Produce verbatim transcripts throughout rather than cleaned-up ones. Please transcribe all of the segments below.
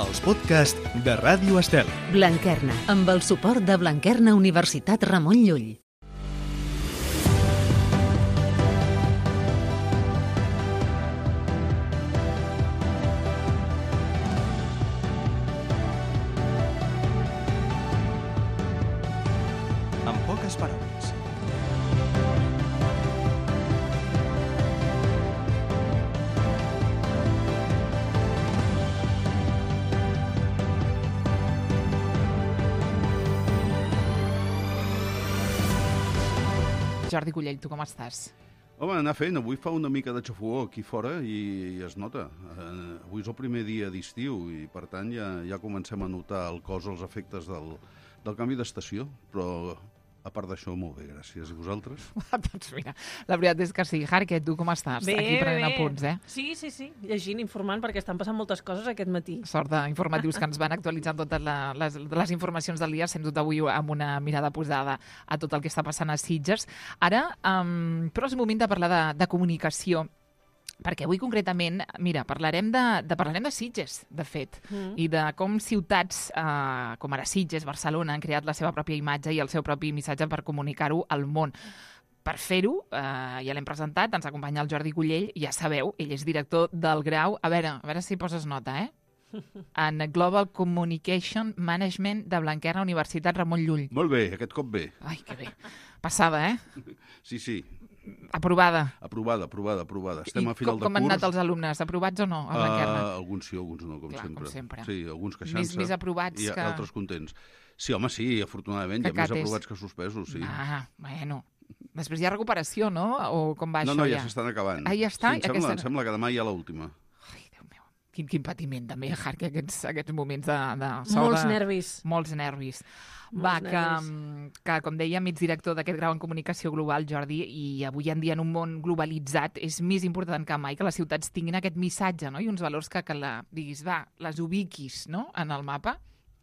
els podcasts de Ràdio Estel. Blanquerna, amb el suport de Blanquerna Universitat Ramon Llull. En poques paraules. Jordi Cullell, tu com estàs? Home, anar fent. Avui fa una mica de xafogó aquí fora i es nota. Eh, avui és el primer dia d'estiu i, per tant, ja, ja comencem a notar el cos, els efectes del, del canvi d'estació, però a part d'això, molt bé, gràcies. I vosaltres? Doncs mira, la veritat és que sí. Harket, tu com estàs? Bé, Aquí prenent bé. apunts, eh? Sí, sí, sí, llegint, informant, perquè estan passant moltes coses aquest matí. Sort d'informatius que ens van actualitzant totes la, les, les informacions del dia, sens dubte avui amb una mirada posada a tot el que està passant a Sitges. Ara, um, però és moment de parlar de, de comunicació, perquè avui concretament, mira, parlarem de, de, parlarem de Sitges, de fet, mm. i de com ciutats eh, com ara Sitges, Barcelona, han creat la seva pròpia imatge i el seu propi missatge per comunicar-ho al món. Per fer-ho, eh, ja l'hem presentat, ens acompanya el Jordi Cullell, ja sabeu, ell és director del grau, a veure, a veure si poses nota, eh? En Global Communication Management de Blanquerna Universitat Ramon Llull. Molt bé, aquest cop bé. Ai, que bé. Passada, eh? Sí, sí. Aprovada. Aprovada, aprovada, aprovada. Estem I a final com, de com han curs. anat els alumnes? Aprovats o no, a Blanquerna? Uh, alguns sí, alguns no, com Clar, sempre. com sempre. Sí, alguns queixant-se. Més, més aprovats i que... altres contents. Sí, home, sí, afortunadament, Que hi ha més cates. aprovats que suspesos, sí. Ah, bueno. Després hi ha recuperació, no? O com va no, això no, ja? ja s'estan acabant. Ah, ja està? Sí, em, sembla, Aquesta... em sembla que demà hi ha l'última. Ai, Déu meu. Quin, quin patiment, també, Hark, aquests, aquests moments de... de sol Molts de... nervis. Molts nervis. Molts Va, que, nervis. que, com dèiem, ets director d'aquest grau en comunicació global, Jordi, i avui en dia en un món globalitzat és més important que mai que les ciutats tinguin aquest missatge, no? I uns valors que, que la, diguis, va, les ubiquis, no?, en el mapa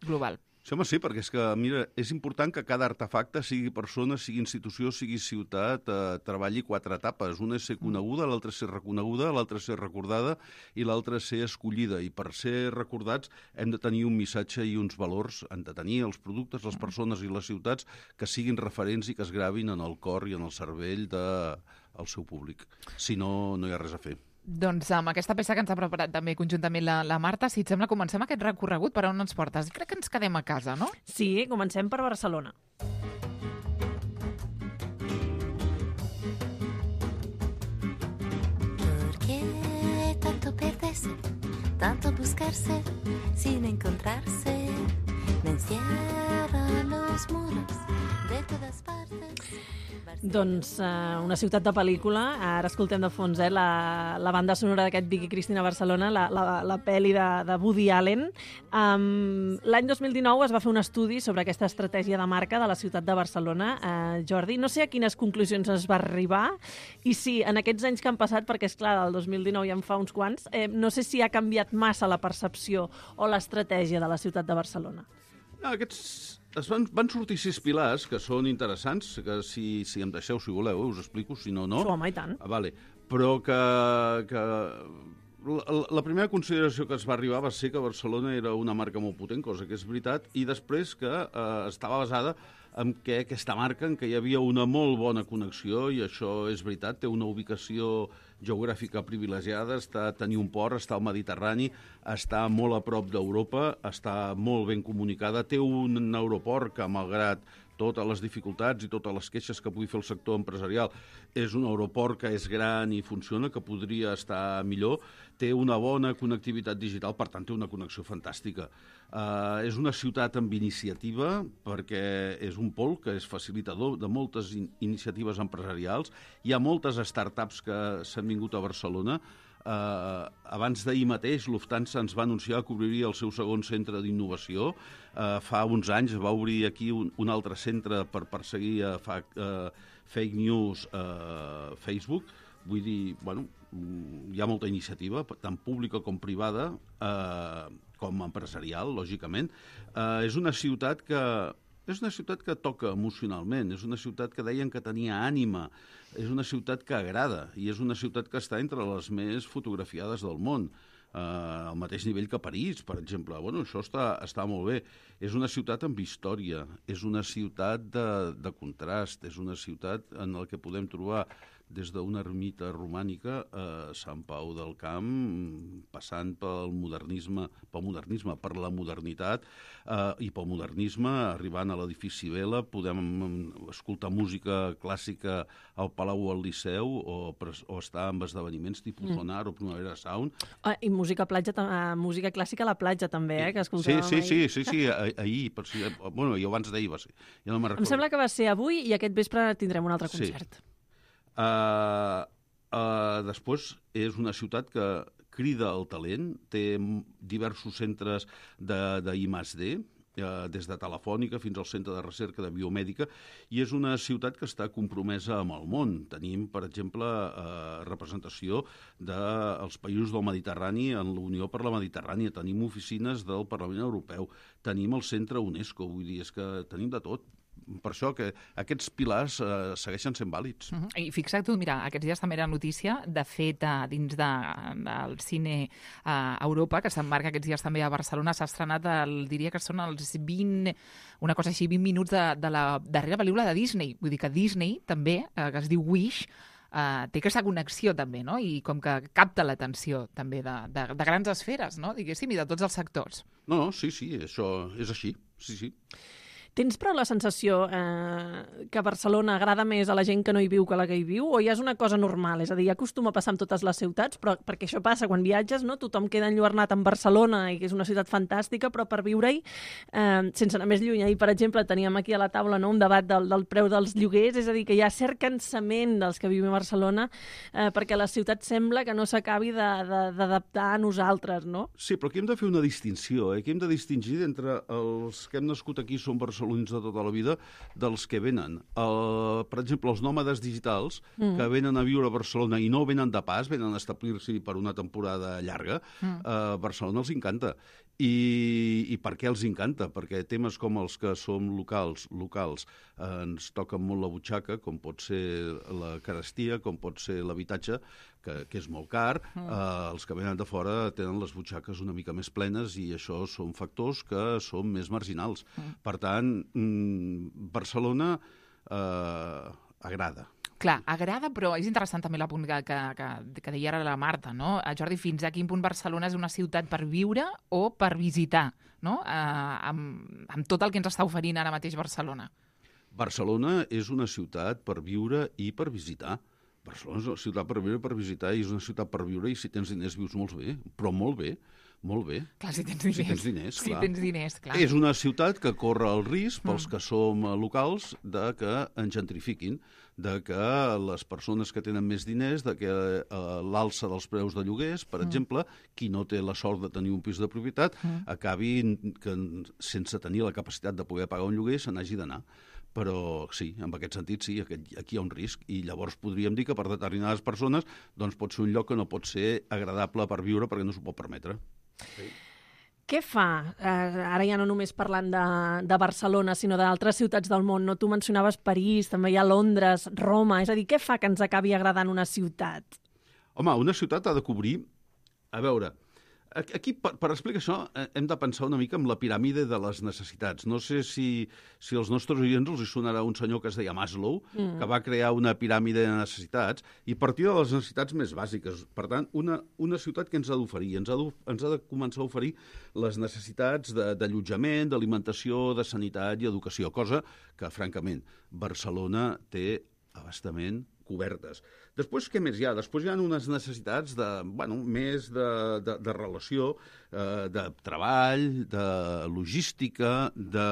global. Sí, home, sí, perquè és que, mira, és important que cada artefacte, sigui persona, sigui institució, sigui ciutat, eh, treballi quatre etapes. Una és ser coneguda, l'altra és ser reconeguda, l'altra és ser recordada i l'altra és ser escollida. I per ser recordats hem de tenir un missatge i uns valors, hem de tenir els productes, les persones i les ciutats que siguin referents i que es gravin en el cor i en el cervell del seu públic. Si no, no hi ha res a fer. Doncs amb aquesta peça que ens ha preparat també conjuntament la, la Marta, si et sembla, comencem aquest recorregut per on ens portes. Crec que ens quedem a casa, no? Sí, comencem per Barcelona. ¿Por qué tanto perderse, tanto buscarse, sin encontrarse? Me encierran los muros de todas partes. Doncs uh, una ciutat de pel·lícula, ara escoltem de fons eh, la, la banda sonora d'aquest Vicky Cristina Barcelona, la, la, la pel·li de, de Woody Allen. Um, L'any dos mil dinou es va fer un estudi sobre aquesta estratègia de marca de la ciutat de Barcelona. Uh, Jordi, no sé a quines conclusions es va arribar i si en aquests anys que han passat, perquè és clar, del dos mil dinou ja en fa uns quants, eh, no sé si ha canviat massa la percepció o l'estratègia de la ciutat de Barcelona. No, aquests es van, van sortir sis pilars que són interessants, que si, si em deixeu, si voleu, us explico, si no, no. Sí, home, i tant. Ah, vale. Però que, que la, la primera consideració que es va arribar va ser que Barcelona era una marca molt potent, cosa que és veritat, i després que eh, estava basada en què aquesta marca, en què hi havia una molt bona connexió, i això és veritat, té una ubicació geogràfica privilegiada, està a tenir un port, està al Mediterrani, està molt a prop d'Europa, està molt ben comunicada, té un aeroport que, malgrat totes les dificultats i totes les queixes que pugui fer el sector empresarial, és un aeroport que és gran i funciona, que podria estar millor, té una bona connectivitat digital, per tant té una connexió fantàstica. Uh, és una ciutat amb iniciativa, perquè és un pol que és facilitador de moltes in iniciatives empresarials. Hi ha moltes startups que s'han vingut a Barcelona. Uh, abans d'ahir mateix, Lufthansa ens va anunciar que obriria el seu segon centre d'innovació. Uh, fa uns anys va obrir aquí un, un altre centre per perseguir uh, fa, uh, fake news a uh, Facebook. Vull dir, bueno, hi ha molta iniciativa, tant pública com privada, eh, com empresarial, lògicament. Eh, és una ciutat que és una ciutat que toca emocionalment, és una ciutat que deien que tenia ànima, és una ciutat que agrada i és una ciutat que està entre les més fotografiades del món. al mateix nivell que París, per exemple. Bueno, això està, està molt bé. És una ciutat amb història, és una ciutat de, de contrast, és una ciutat en la que podem trobar des d'una ermita romànica a Sant Pau del Camp, passant pel modernisme, pel modernisme, per la modernitat eh, i pel modernisme, arribant a l'edifici Vela, podem escoltar música clàssica al Palau o al Liceu o, o estar en esdeveniments tipus mm. Sonar o Primavera Sound. Ah, I música, platja, uh, música clàssica a la platja també, eh, que escoltàvem sí, sí, ahir. Sí, sí, sí, ahir, per si, bueno, jo abans d'ahir va ser. Ja no em sembla que va ser avui i aquest vespre tindrem un altre concert. Sí. Uh, uh, després és una ciutat que crida el talent, té diversos centres d'I més D, uh, des de Telefònica fins al Centre de Recerca de Biomèdica, i és una ciutat que està compromesa amb el món. Tenim, per exemple, uh, representació dels països del Mediterrani en la Unió per la Mediterrània, tenim oficines del Parlament Europeu, tenim el Centre UNESCO, vull dir, és que tenim de tot. Per això que aquests pilars eh, segueixen sent vàlids. Uh-huh. I fixa't tu, mira, aquests dies també era notícia, de fet, eh, dins de, del cine a eh, Europa, que s'emmarca aquests dies també a Barcelona, s'ha estrenat, el, diria que són els vint, una cosa així, vint minuts de, de la darrera pel·lícula de Disney. Vull dir que Disney també, eh, que es diu Wish, Uh, té aquesta connexió també, no? I com que capta l'atenció també de, de, de grans esferes, no? Diguéssim, i de tots els sectors. No, no, sí, sí, això és així, sí, sí. Tens però la sensació eh, que Barcelona agrada més a la gent que no hi viu que a la que hi viu, o ja és una cosa normal? És a dir, ja acostuma a passar en totes les ciutats, però perquè això passa quan viatges, no? Tothom queda enlluernat en Barcelona i que és una ciutat fantàstica, però per viure-hi, eh, sense anar més lluny. Ahir, per exemple, teníem aquí a la taula, no, un debat del, del preu dels lloguers, és a dir, que hi ha cert cansament dels que vivim a Barcelona eh, perquè la ciutat sembla que no s'acabi d'adaptar a nosaltres, no? Sí, però aquí hem de fer una distinció, eh? Aquí hem de distingir entre els que hem nascut aquí som barcelonins de tota la vida dels que venen. El, per exemple, els nòmades digitals mm. que venen a viure a Barcelona i no venen de pas, venen a establir-s'hi per una temporada llarga, mm. a Barcelona els encanta. I, I per què els encanta? Perquè temes com els que som locals, locals eh, ens toquen molt la butxaca, com pot ser la carestia, com pot ser l'habitatge, que, que és molt car. Mm. Eh, els que venen de fora tenen les butxaques una mica més plenes i això són factors que són més marginals. Mm. Per tant, mm, Barcelona eh, agrada. Clar, agrada, però és interessant també l'apunt que, que, que, que deia ara la Marta, no? Jordi, fins a quin punt Barcelona és una ciutat per viure o per visitar, no? Eh, amb, amb tot el que ens està oferint ara mateix Barcelona. Barcelona és una ciutat per viure i per visitar. Barcelona és una ciutat per viure i per visitar, i és una ciutat per viure i si tens diners vius molt bé, però molt bé. Molt bé. Clar, si tens diners. Si tens diners, si clar. Tens diners, clar. És una ciutat que corre el risc, pels que som locals, de que ens gentrifiquin, de que les persones que tenen més diners, de que eh, l'alça dels preus de lloguers, per mm. exemple, qui no té la sort de tenir un pis de propietat, mm. acabi que, sense tenir la capacitat de poder pagar un lloguer, se n'hagi d'anar. Però sí, en aquest sentit sí, aquí hi ha un risc, i llavors podríem dir que per determinades persones doncs pot ser un lloc que no pot ser agradable per viure perquè no s'ho pot permetre. Sí. Què fa, eh, ara ja no només parlant de, de Barcelona, sinó d'altres ciutats del món, no? Tu mencionaves París, també hi ha Londres, Roma, és a dir, què fa que ens acabi agradant una ciutat? Home, una ciutat ha de cobrir... A veure, aquí, per, per explicar això, hem de pensar una mica en la piràmide de les necessitats. No sé si, si als nostres oients els hi sonarà un senyor que es deia Maslow, mm. que va crear una piràmide de necessitats, i partir de les necessitats més bàsiques. Per tant, una, una ciutat que ens ha d'oferir? Ens, ens ha de començar a oferir les necessitats d'allotjament, d'alimentació, de sanitat i educació, cosa que, francament, Barcelona té abastament cobertes. Després, què més hi ha? Després hi ha unes necessitats de, bueno, més de, de, de relació, eh, de treball, de logística, de,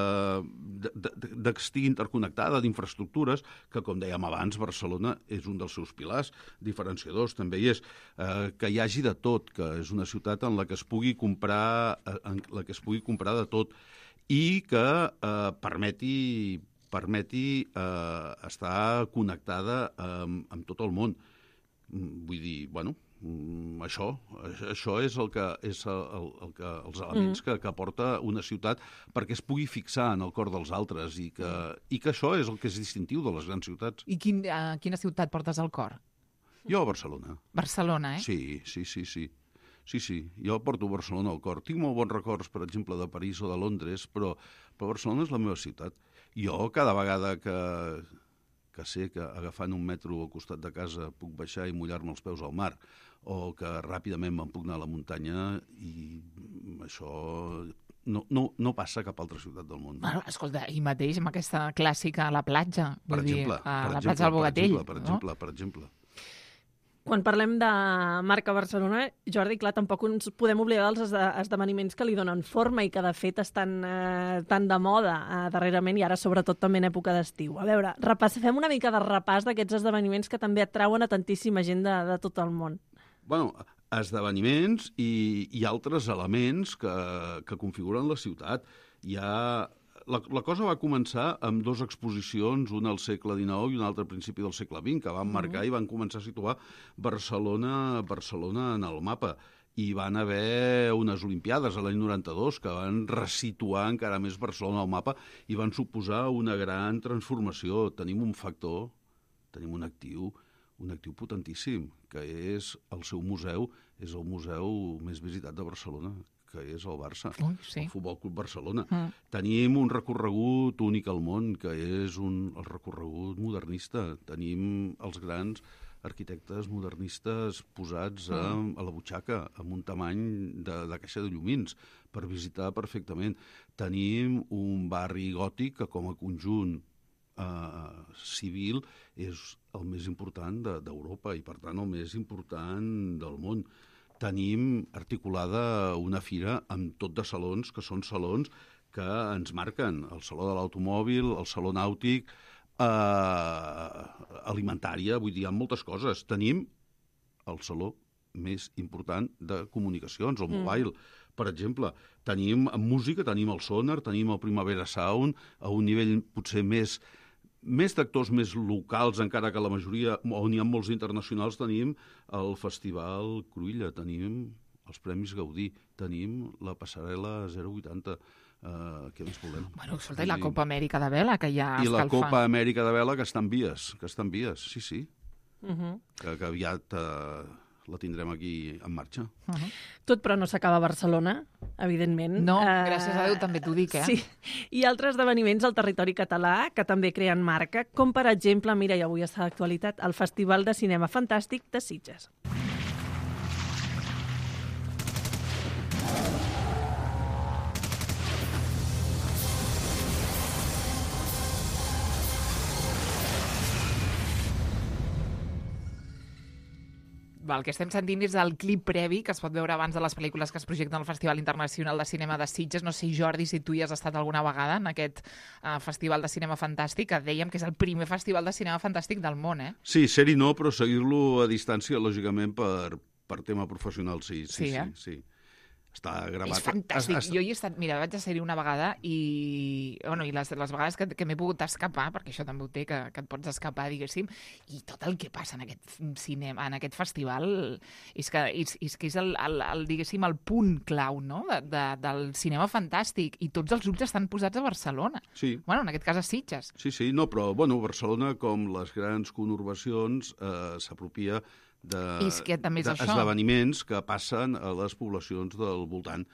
de, de, de que estigui interconnectada, d'infraestructures, que, com dèiem abans, Barcelona és un dels seus pilars diferenciadors, també hi és, eh, que hi hagi de tot, que és una ciutat en la que es pugui comprar, en la que es pugui comprar de tot, i que eh, permeti permeti eh, estar connectada amb, amb tot el món. Vull dir, bueno, això, això és, el que, és el, el que, els elements mm. que, que aporta una ciutat perquè es pugui fixar en el cor dels altres i que, i que això és el que és distintiu de les grans ciutats. I quin, a quina ciutat portes al cor? Jo a Barcelona. Barcelona, eh? Sí, sí, sí, sí. Sí, sí, jo porto Barcelona al cor. Tinc molt bons records, per exemple, de París o de Londres, però, però Barcelona és la meva ciutat. Jo, cada vegada que, que sé que agafant un metro al costat de casa puc baixar i mullar-me els peus al mar, o que ràpidament me'n puc anar a la muntanya, i això no, no, no passa a cap altra ciutat del món. Bueno, escolta, i mateix amb aquesta clàssica a la platja, Per vull exemple, dir, a per la exemple, platja del Bogatell, per exemple, per exemple. Quan parlem de marca Barcelona, Jordi, clar, tampoc ens podem oblidar dels esde- esdeveniments que li donen forma i que, de fet, estan eh, tan de moda eh, darrerament i ara, sobretot, també en època d'estiu. A veure, repass, fem una mica de repàs d'aquests esdeveniments que també atrauen a tantíssima gent de, de tot el món. Bueno, esdeveniments i, i altres elements que, que configuren la ciutat. Hi ha... La, la cosa va començar amb dues exposicions, una al segle dinou i una altra al principi del segle vint, que van marcar i van començar a situar Barcelona, Barcelona en el mapa. I van haver unes Olimpiades a l'any noranta-dos que van resituar encara més Barcelona al mapa i van suposar una gran transformació. Tenim un factor, tenim un actiu, un actiu potentíssim, que és el seu museu, és el museu més visitat de Barcelona, que és el Barça, Ui, sí. el Futbol Club Barcelona. Mm. Tenim un recorregut únic al món, que és un, el recorregut modernista. Tenim els grans arquitectes modernistes posats a, a la butxaca, amb un tamany de, de caixa de llumins, per visitar perfectament. Tenim un barri gòtic que, com a conjunt eh, civil, és el més important de- d'Europa i, per tant, el més important del món. Tenim articulada una fira amb tot de salons, que són salons que ens marquen. El Saló de l'Automòbil, el Saló Nàutic, eh, alimentària, vull dir, hi ha moltes coses. Tenim el saló més important de comunicacions, el Mobile, mm. per exemple. Tenim en música, tenim el Sonar, tenim el Primavera Sound, a un nivell potser més... més d'actors més locals, encara que la majoria, on hi ha molts internacionals, tenim el Festival Cruïlla, tenim els Premis Gaudí, tenim la passarel·la zero vuitanta. Uh, què més volem? Bueno, escolta, i la Copa Amèrica de Vela, que ja I la escalfa. Copa Amèrica de Vela, que està en vies, que està en vies, sí, sí. Uh -huh. Que, que aviat uh, la tindrem aquí en marxa. Uh -huh. Tot però no s'acaba a Barcelona, evidentment. No, Eh, gràcies a Déu també t'ho dic, eh? Sí, i altres esdeveniments al territori català que també creen marca, com per exemple, mira, i avui està d'actualitat, el Festival de Cinema Fantàstic de Sitges. El que estem sentint és el clip previ que es pot veure abans de les pel·lícules que es projecten al Festival Internacional de Cinema de Sitges. No sé, Jordi, si tu hi has estat alguna vegada en aquest uh, Festival de Cinema Fantàstic, que dèiem que és el primer Festival de Cinema Fantàstic del món, eh? Sí, ser-hi no, però seguir-lo a distància, lògicament, per, per tema professional, sí. Sí, Sí, eh? sí, sí. Està gravat. És fantàstic. Es, es... Jo hi he estat, mira, vaig a ser-hi una vegada i, bueno, i les, les vegades que, que m'he pogut escapar, perquè això també ho té, que, que et pots escapar, diguéssim, i tot el que passa en aquest cinema, en aquest festival, és que és, és, que és el, el, el, diguéssim, el punt clau, no?, de, de, del cinema fantàstic, i tots els ulls estan posats a Barcelona. Sí. Bueno, en aquest cas a Sitges. Sí, sí, no, però, bueno, Barcelona, com les grans conurbacions, eh, s'apropia de, És que també és això. d'esdeveniments que passen a les poblacions del voltant.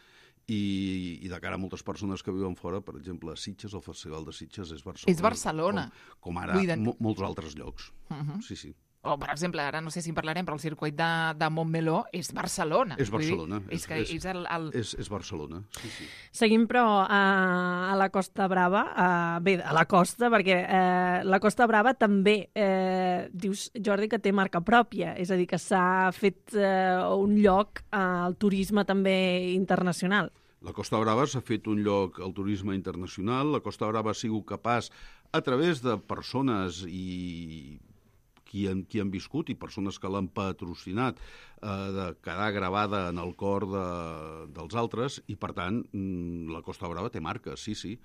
I, i de cara a moltes persones que viuen fora, per exemple, a Sitges, el Festival de Sitges és Barcelona. És Barcelona. Com, com ara Vull dir- mo molts altres llocs. Uh -huh. Sí, sí. O, per exemple, ara no sé si en parlarem, però el circuit de, de Montmeló és Barcelona. És Vull dir, Barcelona. És, que és el... el... És, és Barcelona, sí, sí. Seguim, però, a, a la Costa Brava, a, bé, a la costa, perquè eh, la Costa Brava també, eh, dius, Jordi, que té marca pròpia, és a dir, que s'ha fet eh, un lloc al turisme també internacional. La Costa Brava s'ha fet un lloc al turisme internacional. La Costa Brava ha sigut capaç, a través de persones i qui han, qui han viscut i persones que l'han patrocinat, eh, de quedar gravada en el cor de, dels altres, i, per tant, la Costa Brava té marca, sí, sí.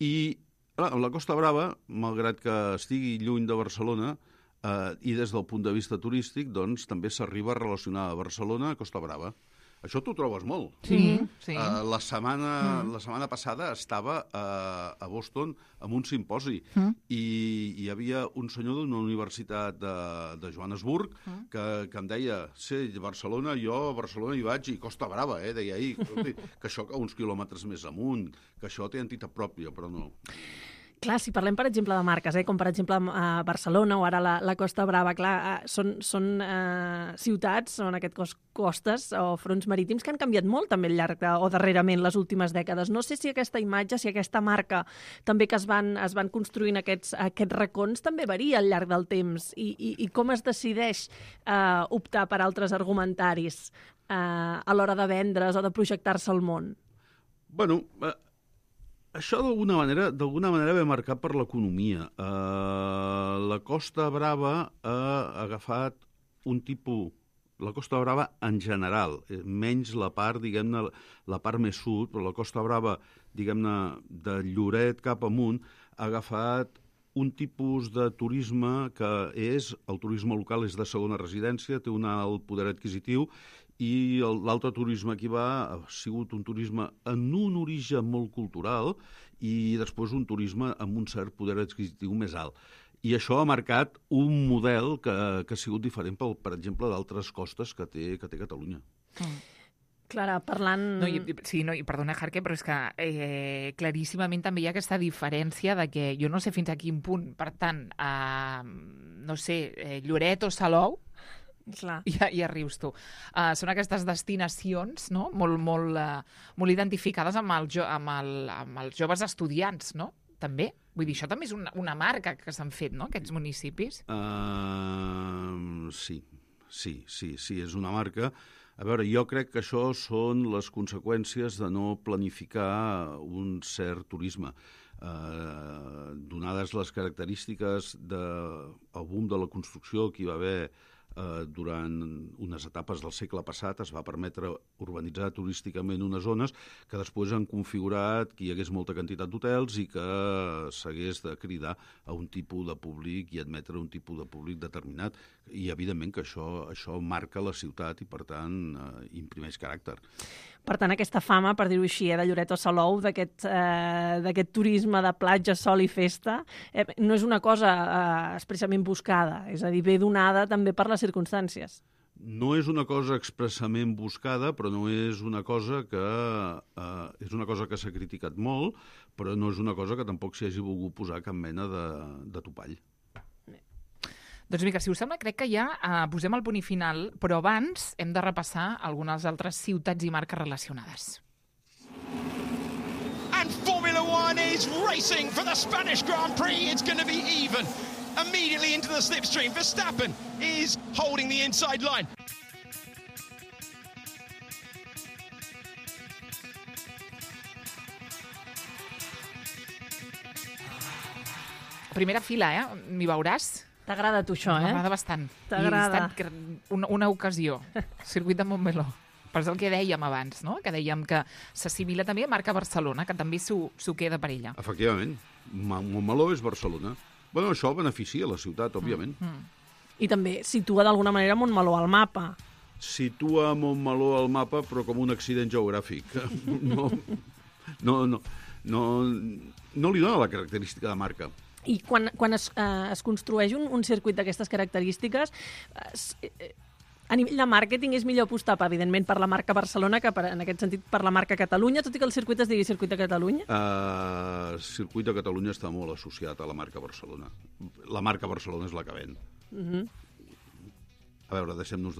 I clar, la Costa Brava, malgrat que estigui lluny de Barcelona, eh, i des del punt de vista turístic, doncs, també s'arriba a relacionar a Barcelona a Costa Brava. Això t'ho trobes molt. Sí, sí. Uh, la, setmana, mm. la setmana passada estava uh, a Boston amb un simposi mm. i hi havia un senyor d'una universitat de, de Johannesburg mm. que, que em deia, sí, Barcelona, jo a Barcelona hi vaig i Costa Brava, eh, deia ahir, que això que uns quilòmetres més amunt, que això té entitat pròpia, però no. Clar, si parlem, per exemple, de marques, eh, com per exemple a Barcelona o ara la, la Costa Brava, clar, eh, són, són eh, ciutats, són aquest cos, costes o fronts marítims que han canviat molt també al llarg de, o darrerament les últimes dècades. No sé si aquesta imatge, si aquesta marca també que es van, es van construint aquests, aquests racons també varia al llarg del temps i, i, i com es decideix eh, optar per altres argumentaris eh, a l'hora de vendre's o de projectar-se al món? Bueno, eh, això d'alguna manera d'alguna manera ve marcat per l'economia. Uh, la Costa Brava ha agafat un tipus... La Costa Brava en general, menys la part, diguem-ne, la part més sud, però la Costa Brava, diguem-ne, de Lloret cap amunt, ha agafat un tipus de turisme que és, el turisme local és de segona residència, té un alt poder adquisitiu, i l'altre turisme que hi va ha sigut un turisme en un origen molt cultural i després un turisme amb un cert poder adquisitiu més alt. I això ha marcat un model que, que ha sigut diferent, per, per exemple, d'altres costes que té, que té Catalunya. Mm. Clara, parlant... No, i, sí, no, i perdona, Jarque, però és que eh, claríssimament també hi ha aquesta diferència de que jo no sé fins a quin punt, per tant, eh, no sé, eh, Lloret o Salou, clar. Ja, ja rius tu. Uh, són aquestes destinacions, no?, molt, molt, uh, molt identificades amb, el jo, amb, el, amb els joves estudiants, no?, també. Vull dir, això també és una, una marca que s'han fet, no?, aquests municipis. Uh, sí, sí, sí, sí, és una marca. A veure, jo crec que això són les conseqüències de no planificar un cert turisme. Uh, donades les característiques del boom de la construcció que hi va haver Uh, durant unes etapes del segle passat, es va permetre urbanitzar turísticament unes zones que després han configurat que hi hagués molta quantitat d'hotels i que s'hagués de cridar a un tipus de públic i admetre un tipus de públic determinat. I, evidentment, que això, això marca la ciutat i, per tant, uh, imprimeix caràcter. Per tant, aquesta fama, per dir-ho així, eh, de Lloret o Salou, d'aquest eh, turisme de platja, sol i festa, eh, no és una cosa eh, expressament buscada, és a dir, ve donada també per les circumstàncies. No és una cosa expressament buscada, però no és una cosa que eh, és una cosa que s'ha criticat molt, però no és una cosa que tampoc s'hi hagi volgut posar cap mena de, de topall. Doncs vinga, si us sembla, crec que ja eh, posem el punt i final, però abans hem de repassar algunes altres ciutats i marques relacionades. And Formula One is racing for the Spanish Grand Prix. It's going to be even. Immediately into the slipstream. Verstappen is holding the inside line. Primera fila, eh? M'hi veuràs? T'agrada a tu això, eh? M'agrada bastant. T'agrada. I una, una ocasió. Circuit de Montmeló. Però és el que dèiem abans, no?, que dèiem que s'assimila també a marca Barcelona, que també s'ho queda per ella. Efectivament. Montmeló és Barcelona. Bueno, això beneficia la ciutat, òbviament. Mm, mm. I també situa d'alguna manera Montmeló al mapa. Situa Montmeló al mapa, però com un accident geogràfic. No, no, no, no, no li dona la característica de marca. I quan, quan es, eh, es construeix un, un circuit d'aquestes característiques, eh, a nivell de màrqueting és millor apostar, evidentment, per la marca Barcelona que, per, en aquest sentit, per la marca Catalunya, tot i que el circuit es digui Circuit de Catalunya? El uh, Circuit de Catalunya està molt associat a la marca Barcelona. La marca Barcelona és la que ven. Uh-huh. A veure, deixem-nos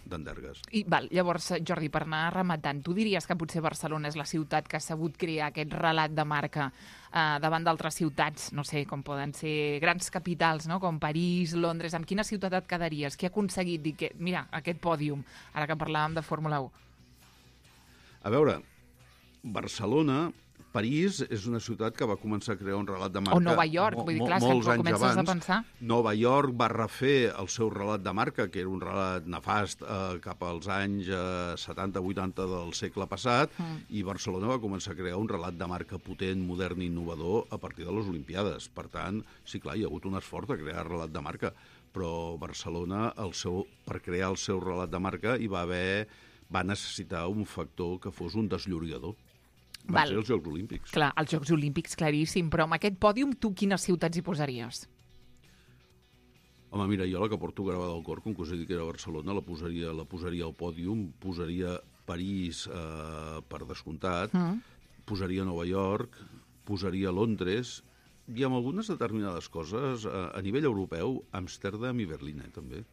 d'endergues. I val, llavors, Jordi, per anar rematant, tu diries que potser Barcelona és la ciutat que ha sabut crear aquest relat de marca eh, davant d'altres ciutats, no sé, com poden ser grans capitals, no?, com París, Londres. Amb quina ciutat et quedaries? Qui ha aconseguit dir que, mira, aquest pòdium, ara que parlàvem de Fórmula u? A veure, Barcelona... París és una ciutat que va començar a crear un relat de marca... O Nova York, vull dir, clar, molts que anys comences abans. a pensar... Nova York va refer el seu relat de marca, que era un relat nefast eh, cap als anys eh, setanta vuitanta del segle passat, mm. i Barcelona va començar a crear un relat de marca potent, modern i innovador a partir de les Olimpiades. Per tant, sí, clar, hi ha hagut un esforç de crear relat de marca, però Barcelona, el seu, per crear el seu relat de marca, hi va haver va necessitar un factor que fos un desllorigador. Van Val. ser els Jocs Olímpics. Clar, els Jocs Olímpics, claríssim, però amb aquest pòdium tu quines ciutats hi posaries? Home, mira, jo la que porto gravada al cor, com que us he dit que era Barcelona, la posaria, la posaria al pòdium, posaria París eh, per descomptat, Mm. posaria Nova York, posaria Londres, i amb algunes determinades coses, eh, a nivell europeu, Amsterdam i Berlín, eh, també,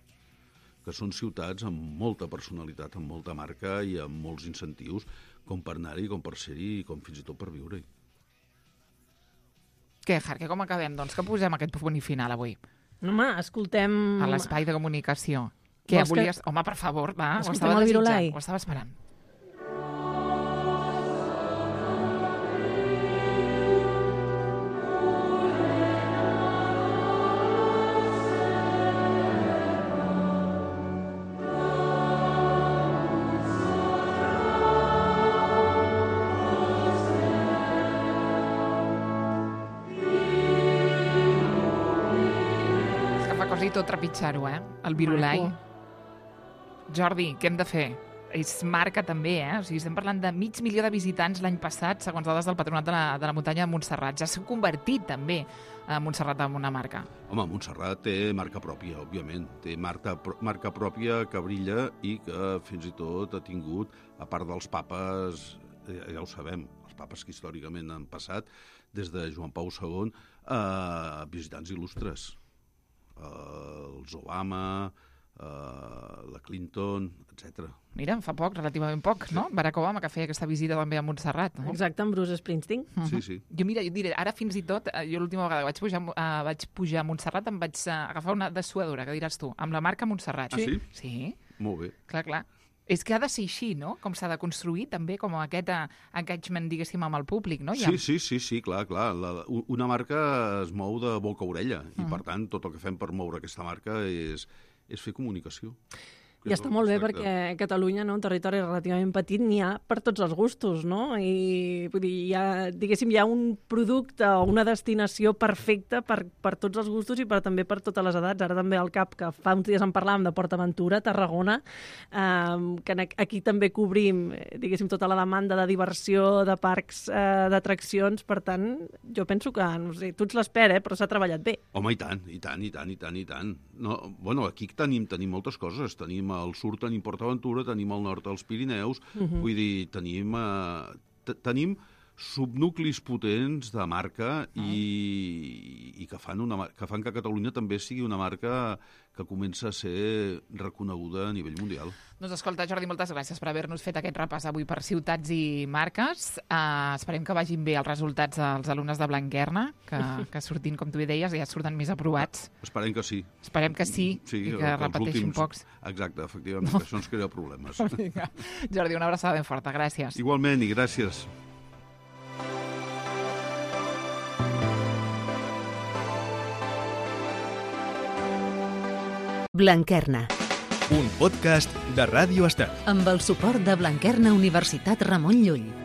que són ciutats amb molta personalitat, amb molta marca i amb molts incentius, com per anar-hi, com per ser-hi, i com fins i tot per viure-hi. Què, Jarque, com acabem? Doncs que posem aquest punt i final avui, Home, escoltem... a l'espai de comunicació. Què, Vols que- volies... Home, per favor, va, ho Escoltem estava el desitjant, Virolai? ho estava esperant. És que fa quasi tot trepitjar-ho, eh? El Virolai. Maco. Jordi, què hem de fer? És marca també, eh? O sigui, estem parlant de mig milió de visitants l'any passat, segons dades del Patronat de la, de la Muntanya de Montserrat. Ja s'ha convertit també a Montserrat en una marca. Home, Montserrat té marca pròpia, òbviament. Té marca, marca pròpia que brilla i que fins i tot ha tingut, a part dels papes, ja ho sabem, els papes que històricament han passat, des de Joan Pau segon, eh, visitants il·lustres. Eh, els Obama, eh, la Clinton, etcètera. Mira, fa poc, relativament poc, no? Barack Obama, que feia aquesta visita també a Montserrat. No? Exacte, amb Bruce Springsteen. Sí, sí. Jo, mira, jo diré, ara fins i tot, eh, jo l'última vegada que vaig pujar, uh, vaig pujar a Montserrat em vaig uh, agafar una dessuadora, que diràs tu, amb la marca Montserrat. Ah, sí? Sí, Molt bé. clar, clar. És que ha de ser així, no? Com s'ha de construir també, com aquest uh, engagement, diguéssim, amb el públic, no? Sí, sí, sí, sí, clar, clar. La, una marca es mou de boca a orella i, Mm. per tant, tot el que fem per moure aquesta marca és, és fer comunicació. I està molt bé perquè Catalunya, no, un territori relativament petit, n'hi ha per tots els gustos, no? I vull dir, hi ha, diguéssim, hi ha un producte o una destinació perfecta per, per tots els gustos i per, també per totes les edats. Ara també al cap, que fa uns dies en parlàvem de PortAventura, Tarragona, eh, que aquí també cobrim, diguéssim, tota la demanda de diversió, de parcs, eh, d'atraccions. Per tant, jo penso que, no sé, tu ets l'expert, eh, però s'ha treballat bé. Home, i tant, i tant, i tant, i tant, i tant. No, bueno, aquí tenim, tenim moltes coses. Tenim al sud tenim PortAventura, tenim al nord els Pirineus, Mhm. vull dir, tenim, eh, t- tenim subnuclis potents de marca i, i que, fan una, mar- que fan que Catalunya també sigui una marca que comença a ser reconeguda a nivell mundial. Doncs escolta, Jordi, moltes gràcies per haver-nos fet aquest repàs avui per ciutats i marques. Uh, esperem que vagin bé els resultats dels alumnes de Blanquerna, que, que surtin, com tu hi deies, ja surten més aprovats. Esperem que sí. Esperem que sí, Sí, i que els repeteixin últims- pocs. Exacte, efectivament, no. Això ens crea problemes. Vinga. Jordi, una abraçada ben forta, gràcies. Igualment, i gràcies. Blanquerna, Un podcast de Ràdio Estel. amb el suport de Blanquerna Universitat Ramon Llull.